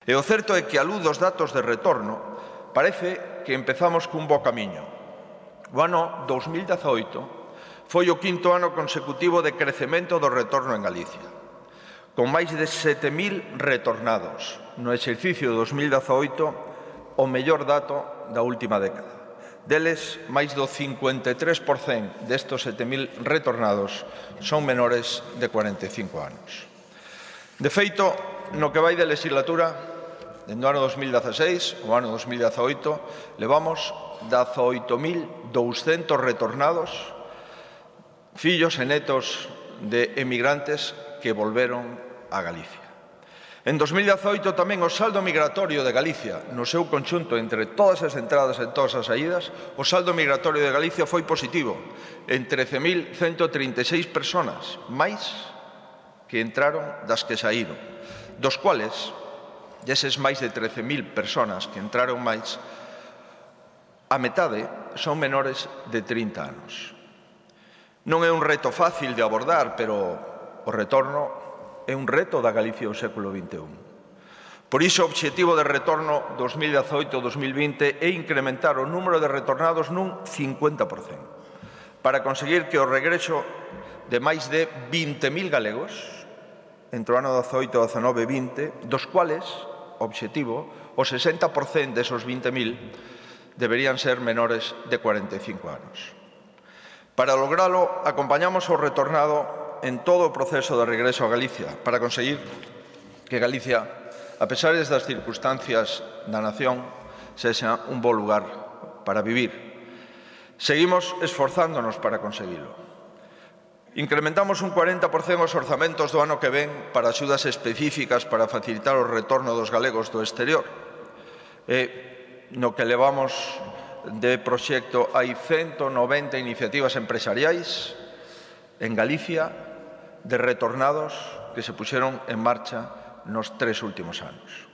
E o certo é que, á luz dos datos de retorno, parece que empezamos cun bo camiño. O ano 2018 foi o quinto ano consecutivo de crecemento do retorno en Galicia, con máis de 7.000 retornados. No exercicio 2018, o mellor dato da última década. Deles, máis do 53% destos 7.000 retornados son menores de 45 anos. De feito, no que vai de legislatura, dende o ano 2016 ao ano 2018, levamos 18.200 retornados, fillos e netos de emigrantes que volveron a Galicia. En 2018 tamén o saldo migratorio de Galicia, no seu conxunto entre todas as entradas e todas as saídas, o saldo migratorio de Galicia foi positivo, en 13.136 persoas, máis que entraron das que saíron, dos cuales, deses máis de 13.000 persoas que entraron máis, a metade son menores de 30 anos. Non é un reto fácil de abordar, pero o retorno é un reto da Galicia do século XXI. Por iso, o obxectivo de retorno 2018-2020 é incrementar o número de retornados nun 50%, para conseguir que o regreso de máis de 20.000 galegos, entre o ano 18, 19 e 20, dos cuales, obxectivo, o 60% desos 20.000 deberían ser menores de 45 anos. Para logralo, acompañamos o retornado en todo o proceso de regreso a Galicia para conseguir que Galicia, a pesar das circunstancias da nación, sexa un bo lugar para vivir. Seguimos esforzándonos para conseguilo. Incrementamos un 40% os orzamentos do ano que ven para axudas específicas para facilitar o retorno dos galegos do exterior. No que levamos de proxecto hai 190 iniciativas empresariais en Galicia de retornados que se puxeron en marcha nos 3 últimos anos.